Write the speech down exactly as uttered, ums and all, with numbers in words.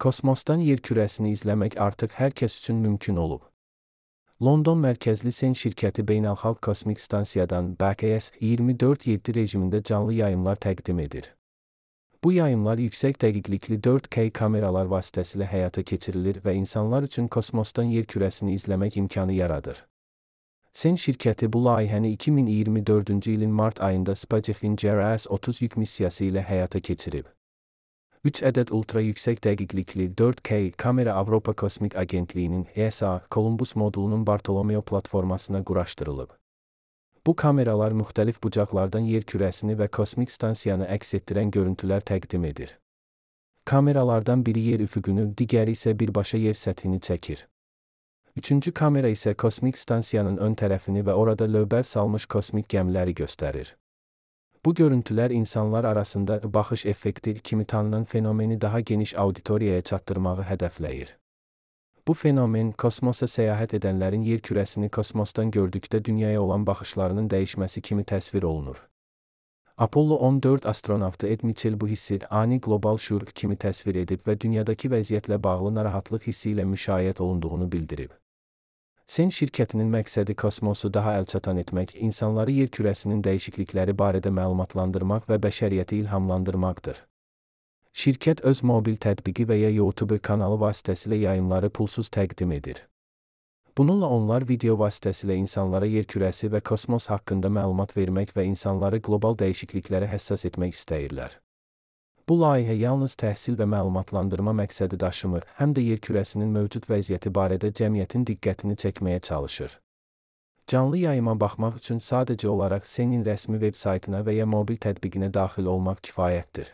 Kosmosdan yer kürəsini izləmək artıq hər kəs üçün mümkün olub. London mərkəzli Sen şirkəti Beynəlxalq Kosmik Stansiyadan B K S iyirmi dörd yeddi rejimində canlı yayımlar təqdim edir. Bu yayımlar yüksək dəqiqlikli dörd K kameralar vasitəsilə həyata keçirilir və insanlar üçün kosmosdan yer kürəsini izləmək imkanı yaradır. Sen şirkəti bu layihəni iki min iyirmi dördüncü ilin mart ayında Spacefin-G R S otuz yük missiyası ilə həyata keçirib. üç ədəd ultra yüksək dəqiqlikli dörd K kamera Avropa Kosmik Agentliyinin E S A Columbus modulunun Bartolomeo platformasına quraşdırılıb. Bu kameralar müxtəlif bucaqlardan yer kürəsini və kosmik stansiyanı əks etdirən görüntülər təqdim edir. Kameralardan biri yer üfüqünü, digəri isə birbaşa yer səthini çəkir. Üçüncü kamera isə kosmik stansiyanın ön tərəfini və orada lövbər salmış kosmik gəmiləri göstərir. Bu görüntülər insanlar arasında baxış effekti kimi tanınan fenomeni daha geniş auditoriyaya çatdırmağı hədəfləyir. Bu fenomen, kosmosa səyahət edənlərin yer kürəsini kosmosdan gördükdə dünyaya olan baxışlarının dəyişməsi kimi təsvir olunur. Apollo on dörd astronavtı Ed Mitchell bu hissi ani qlobal şüur kimi təsvir edib və dünyadakı vəziyyətlə bağlı narahatlıq hissi ilə müşayiət olunduğunu bildirib. Sen şirkətinin məqsədi kosmosu daha əlçatan etmək, insanları yer kürəsinin dəyişiklikləri barədə məlumatlandırmaq və bəşəriyyəti ilhamlandırmaqdır. Şirkət öz mobil tətbiqi və ya YouTube kanalı vasitəsilə yayımları pulsuz təqdim edir. Bununla onlar video vasitəsilə insanlara yer kürəsi və kosmos haqqında məlumat vermək və insanları qlobal dəyişikliklərə həssas etmək istəyirlər. Bu layihə yalnız təhsil və məlumatlandırma məqsədi daşımır, həm də yer kürəsinin mövcud vəziyyəti barədə cəmiyyətin diqqətini çəkməyə çalışır. Canlı yayıma baxmaq üçün sadəcə olaraq Senin rəsmi veb saytına və ya mobil tətbiqinə daxil olmaq kifayətdir.